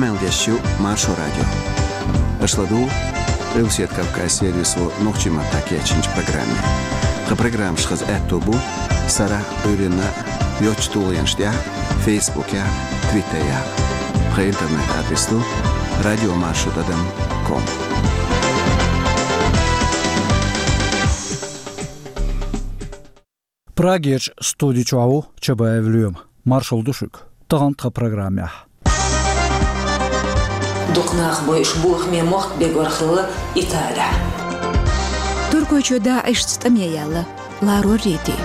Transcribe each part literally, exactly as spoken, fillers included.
Къамел деш ю Маршо радио. Аша ладугӀу Къилбаседа Кавказан сервисо нохчийн маттахь кечйинчу программе. Тхан программаш хаза аьтто бу сарахь а, Ӏуьйранна а йоцчу тулгӀенаш тӀехь а, Фейсбукехь а, Твиттерехь а. Тхан интернет-адрес ду радиомаршо тӀадам ком. Прагерчу студи чохь ву Чабаев Лоьма. Маршалла ду шуьга. Тахана тхан программехь. Дукха нах бойуш бохаме мохк бегор хилла Италехь. Туркойчоь ДАИШца тӀаме яьлла ларор ритий.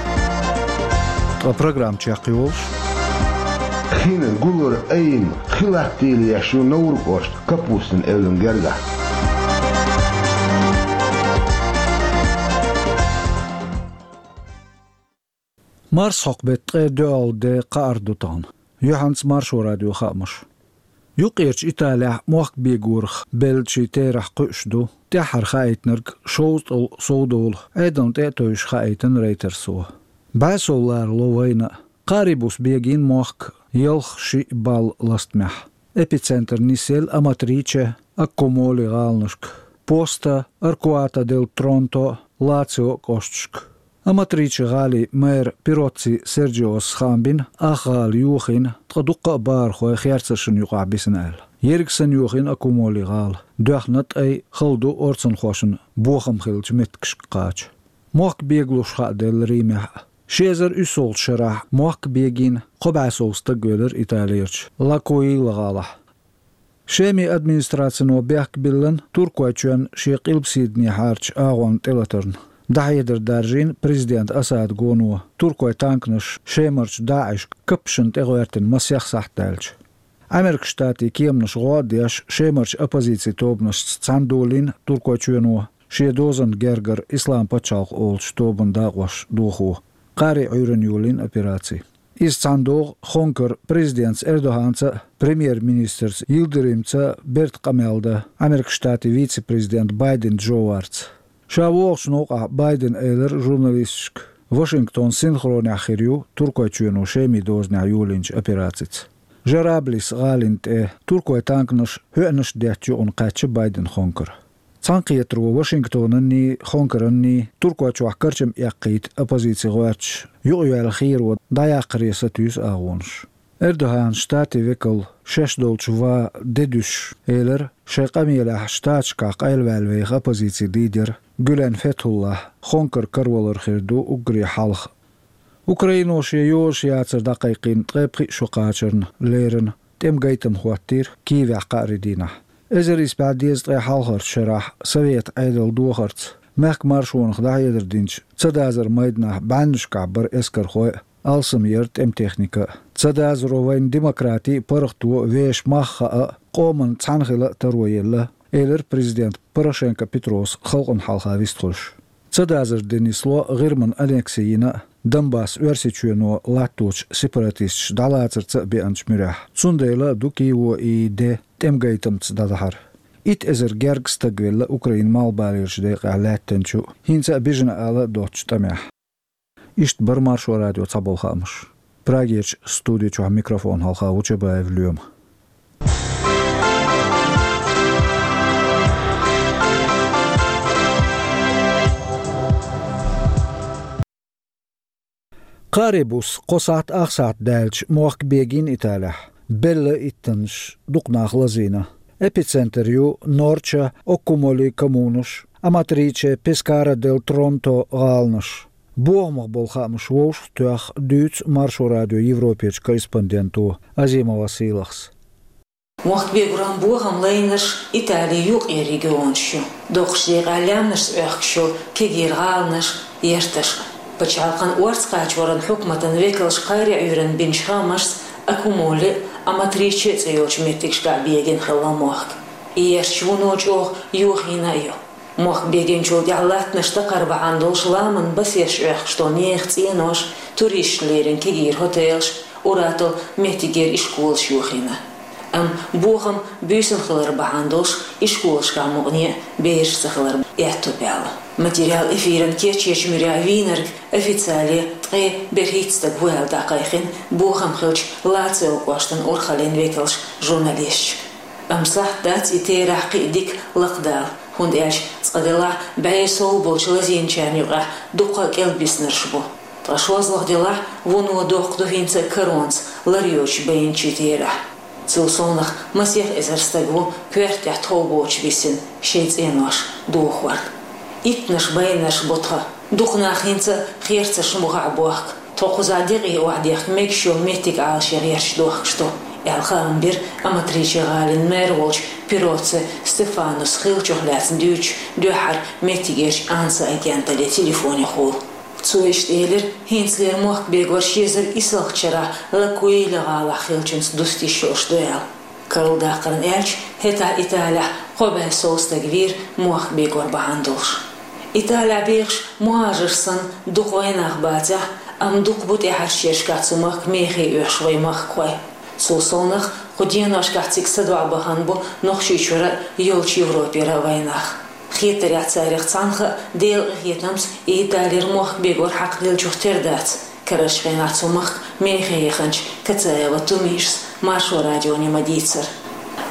Ткъа программа чекхйолуш. Хин гулар айина хи латтийла еш ю Новр кӀошта Капустин эвлан гергахь. Марсхьокху беттан ткъе доьалгӀа де, кхаарх ду тахана. Юьхьанца Маршо радион хаамаш. Юккъерчу Италехь мохк бегорах беллачийн терахь кхуьуш ду, тӀаьххьара хаийтинарг шовзткъал сов долу Ӏедална тӀе а тевжаш, хаийтина Рейтерсо. БӀе сов ларало вайна а. Кхаарин буса бегийна мохк ялх-шиъ балла ластамехь. Эпицентр нисъелла Аматриче, Аккумоли гӀаланашка, Поста, Аркуата дель Тронто, Лацио кӀошташка. Аматриче гӀалин мэр Пироцци Серджиос хаам бина, ах гӀала йохийна, ткъа дуккха а бахархой херцаршна юкъахь бисина аьлла. Ерриг санна йохийна Аккумоли гӀала, доьхна тӀай, хала ду орцанхошна бохам хиллачу меттигашка кхача. Мохк бегалуш хааделла Римехь а. Ши эзар уьссалгӀачу шарахь мохк бегийна кхо бӀе сов стаг велира Италерчу Лакуила гӀалахь. Шеман администрацино бехк биллина Туркойчоьнна шен къилбаседанехьарчу агӀонна тӀелатарна. ДӀахьедар даржийна президента Асадан гоно, туркойн танканаша Шемарчу ДАИШ каппашна тӀегӀоьртина масех сахьт даьлча. Ӏамеркан Штатийн кеманаша гӀо а деш, Шемарчу оппозицин тобанашца цхьаьна долийна Туркойчоьно шен дозанна гергара Ислам пачхьалкх олучу тобанан дакъош дохо, кхаарин Ӏуьйранна йолийна операци. Иза цхьаьна догӀу Хонкара президентца Эрдоганца а, премьер-министрца Йилдиримца а берта къамел дан Ӏамеркан Штатийн вице-президент Байден Джо Варца. Ша вогӀучу новкъахь Байдена элира журналисташка, Вашингтон синхронехь хир ю Туркойчоьно Шеман дозанехь йолийначу операцица. Жараблис гӀалина тӀе туркойн танканаш хьоьъанаш а детташ юкъана кхаьчна Байден Хонкара. Цхьаьнакхетаро Вашингтонанний, Хонкаранний Туркойчохь карчам эккхийта оппозицин гӀоьрташ юкъайоьлла херо дӀаяккхаре сатуьйсу агӀонаш. Эрдоган Штатийн векал шаьш долчу ван де дуьсуш элира, шайн къамелехь Штаташкахь къайлаваьлла веха оппозицин лидер Гюлен Фетхуллахь Хонкара каравалар хир ду уггаре хьалха. Украино шен йозуш яцар дӀакхайкхийна ткъе пхиъ шо кхачарна леррина тӀеман гайтам хӀоттийра Киевехь кхаарин дийнахь. Эзар исс бӀе дезткъе хьалхарчу шарахь Советан Ӏедалан дохарца, мехкан маршонах дӀахьедар динчу цадазаран майданахь бӀеннашкахь бара эскархой а, алсам яра тӀеман техника а. Цадазаро вайна демократи а, паргӀато а, вешан мах а хаьа а, къоманна цхьаьна хила а таро елла, элира президента Порошенко Петрос халкъана хьалха вистхуьлуш. Цадазар де нисло ГӀирман аннекси йина а, Донбасс Оьрсийчоьно латточу сепаратисташа дӀалацарца а беанчу муьрехь. Цундела а ду Киево и де тӀеман гайтамца дӀадахьар. Итт эзар гергга стаг велла Украинан малхбалерчу декъехь лаьттинчу, хӀинца а бижина ала а доцучу тӀамехь. Иштта бара Маршо радион цхьаболу хаамаш. Прагерчу студи чохь микрофон хьалха ву Чабаев Лоьма. Кхаарин буса кхо сахьт, ах сахьт даьлча мохк бегийна Италехь, белла иттаннаш, дукха нах лазийна. Эпицентр ю Норча, Оккумоли коммунаш, Аматриче, Пескара дель Тронто гӀаланаш. Бохамах болу хаамаш вовшахтоьхна дуьйцу Маршо радион Европерчу корреспонденто Азима Василахс. Мохк бегоран бохам лайнарш Италин юккъерчу регионаш ю. Доккхачу декъехь лаьмнашца Ӏохкуш ю кегийра гӀаланаш, ярташ. Пачхьалкхан орца кхачоран хьукматан векалша кхаарин Ӏуьйранна бинчу хаамашца Аккумоли а, Аматриче а цӀе йолчу меттигашкахь бегийна хилла мохк. И ярташ вуно чӀогӀа йохийна а ю. Мохк бегинчул тӀаьхьа латтанаш дакхар бахьана долуш ламанан басеш Ӏохкуш долу нехан цӀенош, туристашна леррина кегийра хотелаш, ур-атталла меттигера ишколаш йохийна. Амма бохам буьйсанна хилар бахьана долуш ишколашкахь мукъане а бераш ца хилар аьтто баьлла. Материал эфиран кечъечу муьрехь вийнарг официале ткъе берхӀитта стаг ву аьлла дӀакхайкхина бохам хиллачу Лацио кӀоштан урхаллин векалша журналисташка. Амма сахьт дац и терахь кхин а дика лакхадала, хӀунда аьлча цкъа делахь бӀе сов болчу лазийначарна юкъахь дуккха а кӀелбиснарш бу. Ткъа шозлагӀа делахь вуно доккха ду хӀинца а каронца лар йоцуш байначийн терахь. Цул совнаха масех эзар стаг ву коьрта тӀехь тхов боцуш висина шайн цӀенош дохорна. Иттаннаш байнарш бу тхан. Дукха нах хӀинца а херцаршна бухахь бохку. Тхо кхузахь декъий охьадехка мегаш йолу меттиг Ӏалашъян гӀерташ дохкуш ду, аьлла, хаам бира Аматриче-гӀалин мэр волчу Пироцци Стефанос хиллачух лаьцна дуьйцучу дуьххьара меттигерчу анса агенталлин телефонехула. Цо иштта элира, хӀинцалера мохк бегор ши эзар исалгӀачу шарахь Лакуиля гӀалахь хиллачуьнца дуста йиш йолуш ду аьлла. Карладаккхарна аьлча, хӀетахь Италехь кхо бӀе сов стаг вийра мохк бегор бахьана долуш. Италехь бехаш мухӀажарш санна дукха вайнах бацахь а, амма дукха бу тӀаьхьарчу шерашкахь цу махка мехе оьхуш вайн махкахой. Цул совнаха кху деношкахь цига садоӀа бахана бу Нохчийчуьра а, йолчу Европера а вайнах. Хетарехь, царах цхьаннах а Делан къинхетамца Италера мохк бегор хьакхаделлачух тера дац. Карарчу хенахь цу махка мехе яханчу Кацаева Тумишас Маршо радионе ма-дийццара.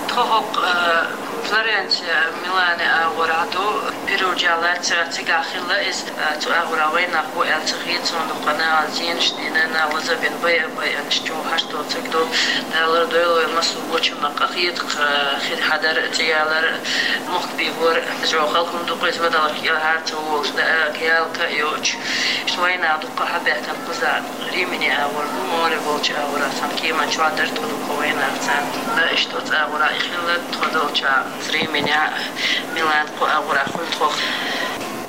Тхо хӀокху, э, Флоренция, Милане агӀор а ду, Перуджа лаьцна цигахь хилла иза, э, цу агӀора вайнах бу аьлла ца хета суна, дукха нахана зенаш дина, нах лазабина, байа-, байанаш чу хьашт доцург ду, Дала лардойла вай массо а гочамах къахета, э, хир хьадар, цӀиялар, мохк бегор, жоьхал хӀума ду-кх иза, вадаларх кӀелхьара ца волуш, да, ялка а йоцуш. Иштта вайнах дуккха хьабаьхкина кхузахь. Римини агӀор бу, море болчу агӀора сан кеман чохь дара тхо дукха вайнах царна. Да, иштта оцу агӀора и хилла тхо долчохь, Римини, Милан кху агӀора хуьлу тхох.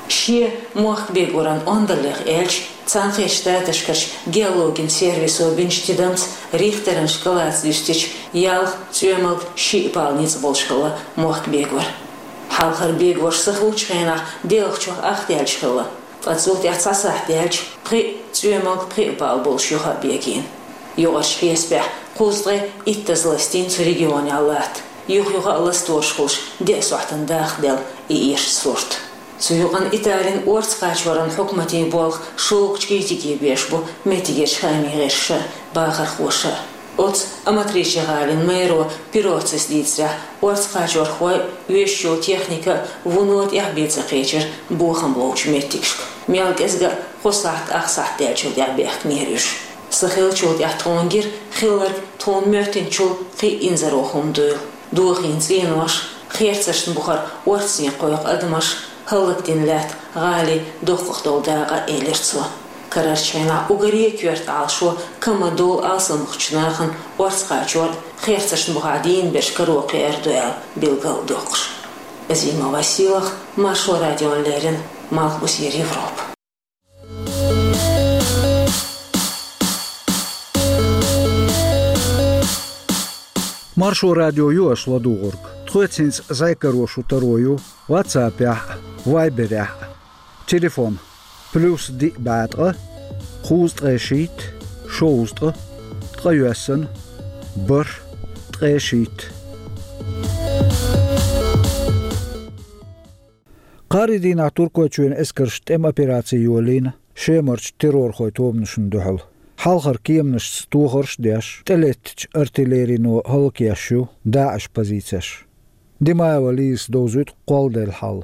Шен мохк бегоран ондаллех аьлча, Цхьаьнакхеттачу Штаташкарчу геологин сервисо бинчу тидамца Рихтеран шкалаца дуьстича, ялх, цӀоьмалг, шиъ балл ницкъ болуш хилла мохк бегор. Хьалхара бегорш са хуьлучу хенахь делхачух ахдаьллаш хилла. Ткъа цул тӀаьхьа цхьа сахьт даьлча, пхиъ, цӀоьмалг, пхиъ балл болуш юха а бегийна. Юкъарчу хьесапехь, кхузткъе иттаза ластийна цу регионехь латта, юха-юха а ластораш хуьлуш, деа сохьтана дахделла и эшачу сурт. Цу юкъана Италин орца кхачоран хьукматийн болх шогачу критике беш бу меттигерчу хаамийн гӀирсаша а, бахархоша а. Оцу Аматриче-гӀалин мэро Пироццис дийцарехь, орца кхачорхой а, вешан йолу техника а вуно тӀаьхьа бен ца кхечира бохам ловчу меттигашка. Мел кӀезга а кхо сахьт, ах сахьт даьллачул тӀаьхьа баьхкинера уьш. Са хиллачул тӀаьхьа тхуна гира хилларг тхуна моьттинчул кхин а инзаро хӀума дуйла. Дохийна цӀенош, херцаршна бухара орцане кхойкху адамаш, хӀаллакдина лаьтта, гӀали, доккхах долу дакъа, элира цо. Карарчу хенахь уггаре а коьрта Ӏалашо, ка ма-долу алсамхачу нахана орца кхачор а, херцаршна бухахь дийна берш каро кхиар ду аьлла билгалдоккхуш. Азима Василах, Маршо радиона леррина, Малхбузера Европа. Маршо радио ю аша ладугӀург. Тхоьца хӀинца зӀе каро шун таро ю WhatsApp-ехь а, Viber-ехь а. Телефон: плюс диъ бӀе ткъа, кхузткъе шийтта, шовзткъа, ткъайоьсна, бархӀ, ткъе шийтта. Кхаарин дийнахь Туркойчоьнан эскарша тӀеман операци йолийна Шемарчу террорхойн тобанашна дуьхьал. Хьалхара кеманашца тохарш а деш, тӀелеттачу артиллерино хӀаллакъеш ю ДАИШ позицеш. Димаева Лизас довзуьйту кхолладелла хьал.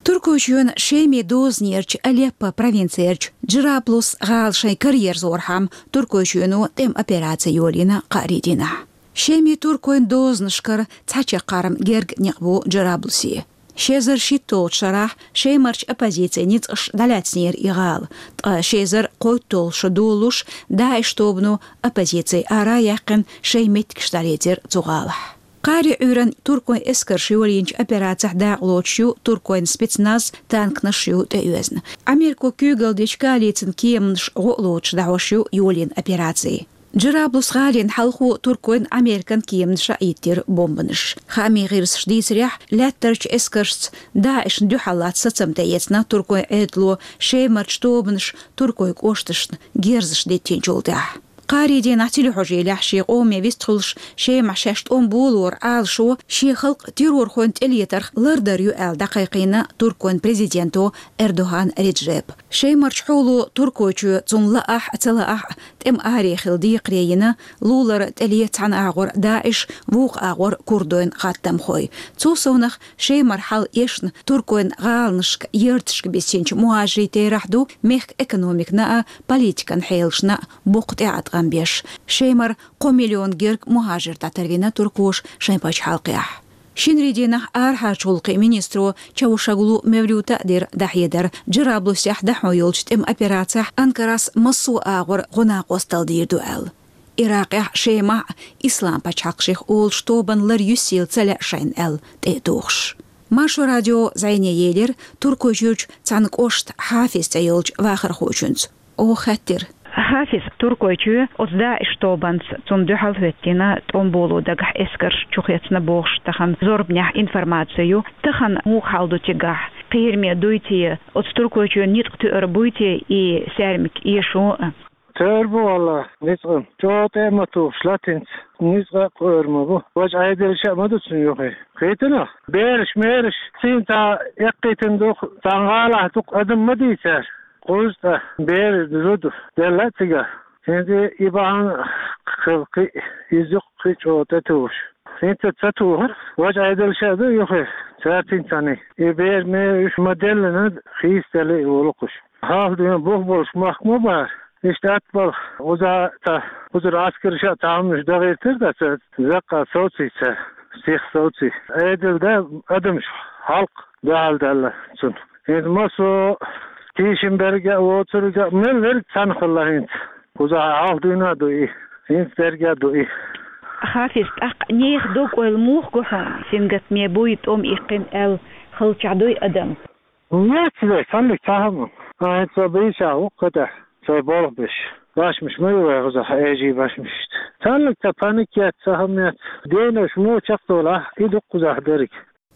Туркойчоьнан Шеман дозанерчу Алеппо провинцерчу Джараблус гӀала шайн караерзорхьама Туркойчоьно тӀеман операци йолийна кхаарин дийнахь. Шеман туркойн дозанашкара цхьа чаккхарма герга некъ бу Джараблусе. Ши эзар шийтталгӀачу шарахь Шемарчу оппозицин ницкъаша дӀалаьцнера и гӀала, ткъа ши эзар кхойтталгӀачу шо долуш ДАИШ тобано оппозици ара а яьккхина, шайн меттигаш дӀалецира цу гӀалахь. Кхаарин Ӏуьйранна туркойн эскарша йолийначу операцехь дакъалоцуш ю туркойн спецназ, танканаш ю тӀеоьзна. Америко куьйгалла дечу коалицин кеманаша гӀо а лоцуш дӀахьош ю йолийна операци. Джараблус гӀалина хьалхо туркойн, американ кеманаша а йиттира бомбанаш. Хаамийн гӀирсаша дийцарехь, лаьттарчу эскаршца ДАИШна дуьхьал латта сацам тӀеэцна туркойн Ӏедало Шемарчу тобанаша туркойн кӀошташна герзаш диттинчул тӀаьхьа. Кхаарий дийнахь телехьожийлехь шен къоме вистхуьлуш, Шемахь шаьш тӀом болоран Ӏалашо шен халкъ террорхойн тӀелетарх лардар ю аьлла дӀакхайкхийна Туркойн президенто Эрдоган Реджепа. Шемарчу хьоло Туркойчоь, цунна лаахь а, ца лаахь а, тӀеман аре хила декхаре йина, лулара тӀеле цхьана агӀор ДАИШ, вукху агӀор курдойн хаттамхой. Цул совнах, Шемара хьал эшна туркойн гӀаланашка, ярташка бисинчу мухӀажирийн терахь ду мехкан экономикана а, политикан хьелашна а боккха тӀеӀаткъам беш. Шемара кхо миллион герга мухӀажир дӀатарвина туркоша шайн пачхьалкхехь. Шинарий дийнахь арахьарчу гӀуллакхийн министро Чавушоглу Мевлюта а дира дӀахьедар, Джараблусехь дӀахьо йолчу тӀеман операцехь Анкарас массо а агӀор гӀо-накъосталла дийр ду аьлла. Иракъехь, Шемахь а, Ислам пачхьалкх шех олучу тобанна лар юьсийла ца лаьа шайна аьлла, тӀе а тухуш. Маршо радио зӀене елира Туркойчуьрчу цхьана кӀоштан Хьафиз цӀе йолчу вахархочуьнца. Оха хаьттира: Хьафиз, Туркойчоь оцу ДАИШ тобанца, цунна дуьхьал хӀоьттина тӀом боло дагахь эскарш чухецна бохуш тахана зорбанехь информаци ю. Тахана муха хьал ду цигахь? Кхераме дуй те, оцу Туркойчоьнан ницкъ тоьар буй те и саьрмик эшо а? Тоьар бу, валлахӀи, ницкъ. ЧӀогӀа тӀе а ма тухуш, латинца, ницкъ а кхоьрур ма бу. Важа Ӏедалша а ма ду цунна юххе. Кхетина? Бераш-мераш сийна цхьа эккхийтина ду, цхьана гӀалахь дукха адам ма дийцара. Кхузткъа бер, зуда делла а цигахь. ХӀинца и бахьана хила кхин а, иза юккъе кхин а чӀогӀа тӀетухуш. ХӀинца ца тухура, важа Ӏедалша а ду юххе, цаьрца цхьаьна. И бер-мер уьш ма-деллина, хийцаделла и волу-кх уьш. Хьалха дуьйна бух болуш мохк ма бара. Иштта атта бала, уза цхьа, узур Ӏаскарша а цхьа хӀуманаш дахийтира аса, заккха совций цара, сиха совций. Ӏедал дан адамаш, хьалкх дуьхьал даьлла цунна. ХӀинца массо а тийшина берг а, воцург а, мел верг цхьаьна хилла хӀинца. Кхузахь хьалха дуьйна а ду и, хӀинца дерг а ду и. Хьафиз, тӀаккха нехан дог-ойла муха го хьуна, сингаттаме буй, тӀом иккхина аьлла, халчохь дуй адам? Яц вай, цхьанниг цхьа хӀума. Ахьа хӀинца со бийшахь ву кху тӀехь, сайн болх беш. Башмаш ма ю вай кхузахь, эжий башмаш иштта. Цхьанниг цхьа паник яц, цхьа хӀума яц. Денаш муха чекхдолахь, и ду-кх кхузахь дерг.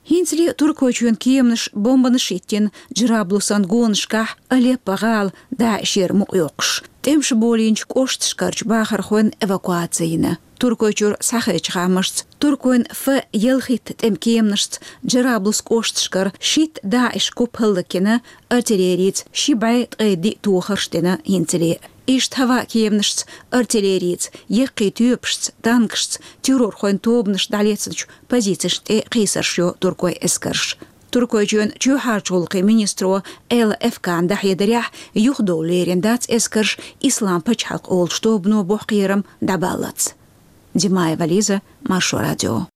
ХӀинцале Туркойчоьнан кеманаш бомбанаш йиттина Джараблусан гонашкахь, Алеппо-гӀала ДАИШера мукъайоккхуш. ТӀемаш болийначу кӀошташкарчу бахархойн эвакуаци йина. Туркойчуьра схьахезачу хаамашца, туркойн Ф ялхитта тӀеман кеманашца Джараблус кӀошташкара шийтта ДАИШ куп хӀаллакйина, артиллерица ши бӀе ткъе диъ тохарш дина хӀинцале. Иштта хӀаваан кеманашца, артиллерица, яккхий тоьпашца, танкашца террорхойн тобанаш дӀалецначу позицешна тӀе кхийсарш йо туркойн эскарша. Туркойчоьнан чоьхьарчу гӀуллакхийн министро Элла Эфкана дӀахьедарехь, юхадовла лерина дац эскарш Ислам пачхьалкх олучу тобано боху кхерам дӀабаллалц. Димаева Лиза, Маршо радио.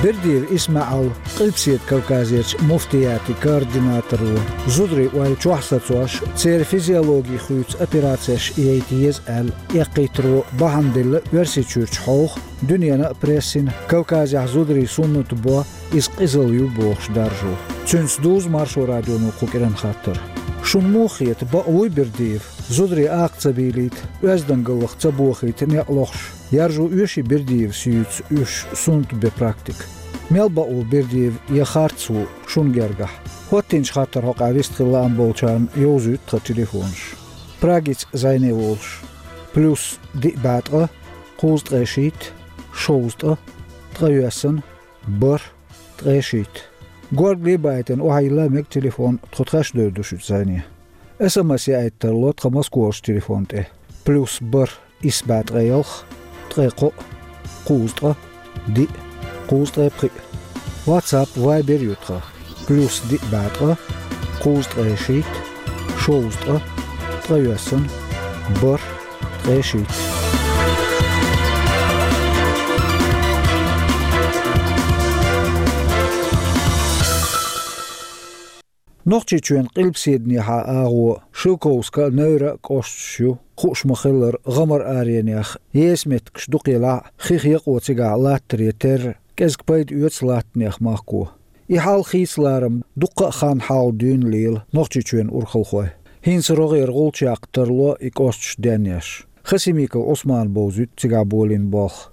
Бердиев ИсмаӀал, Къилбаседа Кавказерчу муфтиятийн координаторо, зударийн ойла чохь сацош, церан физиологи хуьйцу операцеш яйта еза аьлла, эккхийтаро бахьана делла Оьрсийчуьрчу хьовха, дуьненан а прессина, Кавказехь зударийн суннат бо, иза къизалла ю бохуш даржо. Цуьнца дузу Маршо радионо кху кӀиран хаттар. Шуна муха хета, бакъ вуй Бердиев? Зударий акха ца бийлийта, оьздангаллах ца бохийта некъ лохуш, яржо оьший Бердиевс юьйцу уьш суннат бен практика? Мел бакъ ву Бердиев я харц ву шуна гергахь? ХӀоттийначу хаттаран хьокъехь вистхила лаам болчарна йовзуьйту тхан телефонаш. Прагица зӀене волуш: плюс диъ бӀе ткъа, кхузткъе шийтта, шовзткъа, ткъайоьсна, бархӀ, ткъе шийтта. Горгали а баийтина, охьайилла мега телефон, тхо тхаьш девр ду шуьца зӀене. СМС яийта тарло тхан Москварчу телефон тӀе: плюс бархӀ, исс бӀе ткъе ялх, ткъе кхоъ, кхузткъа, диъ, кхузткъе пхиъ. WhatsApp, Viber ю тхан: плюс диъ бӀе ткъа, кхузткъе шийтта, шовзткъа, ткъайоьсна, бархӀ, ткъе шийтта. Нохчийчоьнан къилбаседанехьа агӀо Шелковска а, Невра а кӀошташ ю, хууш ма-хиллара, гӀамар аренех, еса меттигаш дукха елахь а, хих якъо цигахь латтаре терра, кӀезиг пайда оьцу латтанех махко. И хьал хийцаларам дуккха а хан хьалха дуьйна лела Нохчийчоьнан урхалхой. ХӀинца рогӀера гӀулч яккха тарло и кӀошташ денъеш. Хасимиков Ӏусмана бовзуьйту цигахь болийна болх.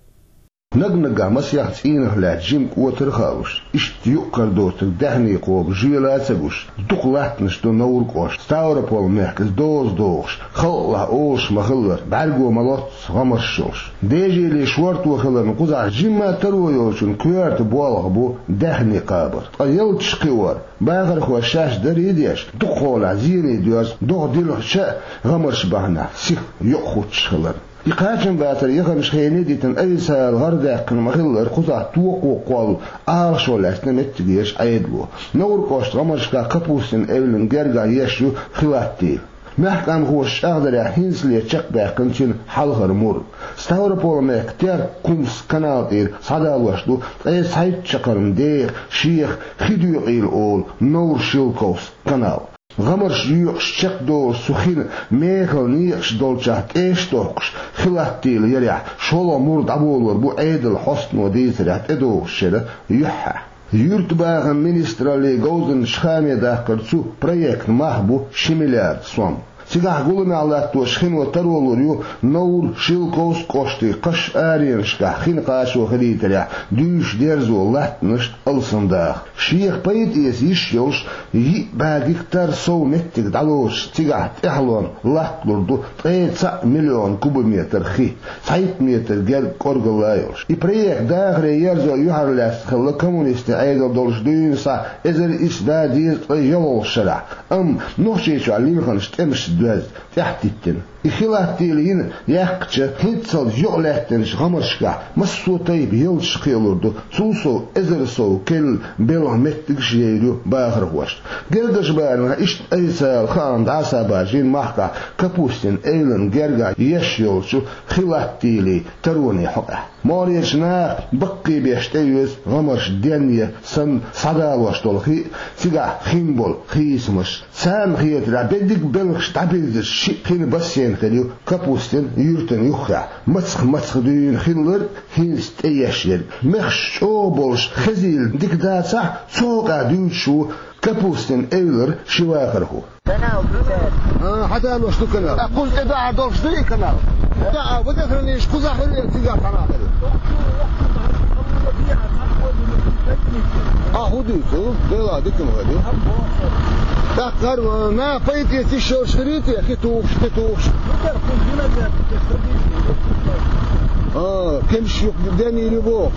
Наг-наггахь масех цӀийнах лаьтта жима кӀотар а хаалуш, иштта юкъ-кара доцург даьхни кхобу жоьла а ца гуш, дукха латтанаш ду Новр кӀоштан Ставрополь мехкаца доза дохуш, халкъалахь олуш ма-хиллара, бӀаьрго ма-лоццу гӀамарш йолуш. Дежеле шорто хиларна кхузахь жимма а таро йолчун коьрта болх бу даьхни кхабар. Ткъа ялташ кхиор, бахархоша шаьш даре а деш, дукхахьолахь зене доьзна, догӀа дилхича а гӀамарш бахьанехь сиха юкъахӀуттуш хилар. И кхачамбацар яханчу хене дитина официалан гӀарадаьккхина ма-хиллара, кхузахь токхо кхолла Ӏалашо лаьцна меттигерчу Ӏедало. Новр кӀоштан гӀамаршкахь Капустин Эвлин гергахь еш ю Хилаттийла. Мехкамхоша чӀагӀдарехь, хӀинцале чекхбаьккхина цуьнан хьалхара мур. Ставрополь-мехкан Терк-Кумск канал тӀера схьадалош ду ткъе цхьайтта чаккхарма деха, шеха хи доькъийла олу Новр-Шелковск канал. ГӀамарш йоькъуш чекхдолуш цу хин мехала некъаш долчохь тӀеш а доккхуш, Хилаттийла ярехь шолгӀа мур дӀаболор бу Ӏедалан хьостано дийцарехь тӀедогӀучу шеран юьххьехь. Юьртабахаман министраллин говзанчаша хааме даккхарчу проектан мах бу ши миллиард сом. Цигахь гуламехь латтош хино таро лур ю Новр-Шелковск кӀоштийн кхаш аренашкахь хин кхачо хилийтарехь дуьйцуш дерзо латтанаш алсамдаха. Шех пайда эца йиш йолуш, йиъ бӀе гектар сов меттиг дӀалоцуш, цигахь тӀаьхьалонна латталур ду ткъе цхьаъ миллион кубометр хи, цхьайтта метр герга кӀоргалла а йолуш. И проект дахаре ерзо юьхьарлаьцна хилла коммунистийн Ӏедал долуш дуьйна схьа эзар исс бӀе дезткъе ялхолгӀачу шарахь, амма Нохчийчохь лилхинчу тӀемашца доьзна, тӀаьхьатеттина. И Хилаттийла йина яьккхича, хӀинццалц юкъалаьттинчу гӀамаршкахь массо а тайпа ялташ кхиалур ду, цул сов эзар сов керла белхан меттигаш а йийр ю бахархошна. Гергарчу барамехь иштта официалан хаам дӀасабаржийна махкахь Капустин Эвлин гергахь еш йолчу Хилаттийлин тароне хьокъехь. МогӀарерчу наха баккхийбеш тӀеоьцу гӀамарш денъян санна схьадалош долу хи а, цигахь хин болу хийцамаш. Царна хетарехь, беддиг белхаш дӀабирзича, шиъ хин бассейн хир ю Капустин юьртана юххехь. Мацах-мацах дуьйна хилларг, хӀинца тӀееш ерг. Мехаш чӀогӀа болуш, хезийла дика дацахь, цу хьокъехь дуьйцуш ву Капустин Эвлара ши вахархо. Канал дитар. А, хьадалош ду канал. А, кхуза тӀе дахьар долуш ду и канал? Да, а, водохранилище кхузахь хир ю, цигахь цхьана хир ю? А, хӀун дуьйцу? Дела, дика ма хир ю. ТӀаккха хӀара, а, на, пайда эца йиш йолуш хир ю те, хи тухуш, хи тухуш? А, кемсаш юкъа денйийр ю боху.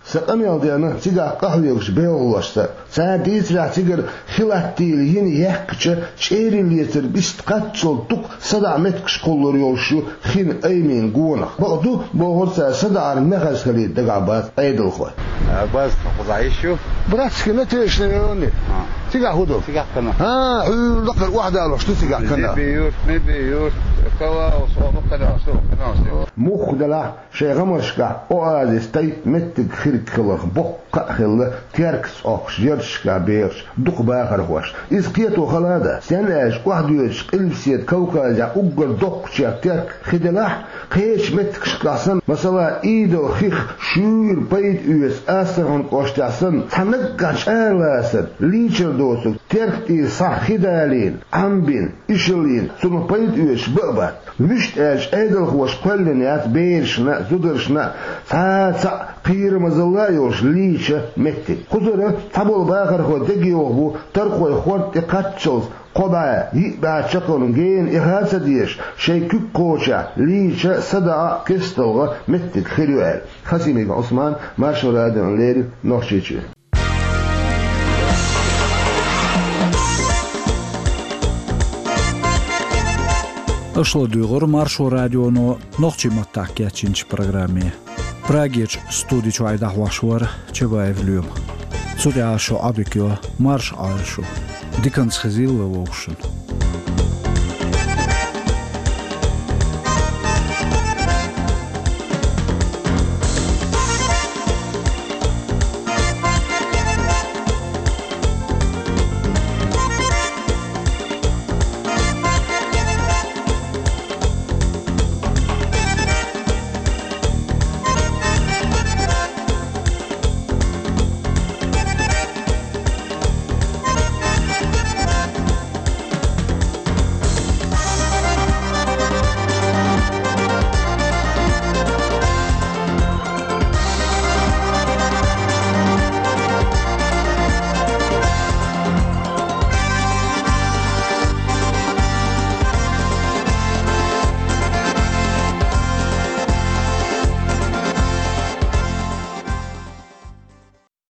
Сан къамел дена цигахь къахьоьгучу белхалошца. Цара дийцарехь, цигара Хилаттийла йина яьккхича, чӀерий лецар бист кхаччалц дукха садаӀа меттигаш кхуллур йолуш ю хин аймийн гонах. Бакъ ду, бохура цара, садаӀар мехаза хилийта дагахь бац Ӏедалхой. А, бац, кхузахь йиш ю? Братский, Натешный район. А. Цигахь хӀун ду? Цигахь канал. А, хьуьлла дакхар охьадалош ду цигахь канал. Зе бе юрт, ме бе юрт, калаус, о, ну, канал, что, канал, что. Муха делахь, шайн гӀамаршкахь оазис тайпа меттиг хирг хиларх боккха а хилла, Теркаца Ӏохкуш ярташкахь бехачу дукха бахархошна. Иза кхето хала а дац, стенна аьлча охьадоьдучу Къилбаседа Кавказехь уггар доккхачех Терк хи делахь, кхечу меттигашкахь санна, масала, Идалан хих шуьйра пайда оьцу Астрахань кӀоштехь санна, цхьа наггахь чӀара лацар, лийчар доцург Терк тӀера схьа хи далийна, Ӏамбина, ишаллина, цунах пайда оьцуш бан а бац. Вуьшта аьлча, Ӏедалхоша кхоьллина яц берашна а, зударшна а цхьа а цхьаъ кхерамазалла а йолуш лийча меттиг. Кхузара цхьаболу бахархой дегайовхо бу, таркхой хорта тӀе кхаччалц кхо бӀе, йиъ бӀе чаккхарма гена эхь а ца дезаш, шайн куьг кхочехь лийча, садаӀа, кесталгӀа меттиг хир ю аьлла. Хасимиков Ӏусман, Маршо радиона леррина, Нохчийчоь. Аша ладуьйгӀура Маршо радионо нохчийн маттахь кечйинчу программе. Прагерчу студи чуьра дӀахьош вара Чабаев Лоьма. Цу тӀехь шун Ӏодика йо, марша Ӏойла шу. Диканца хезийла вай вовшашна.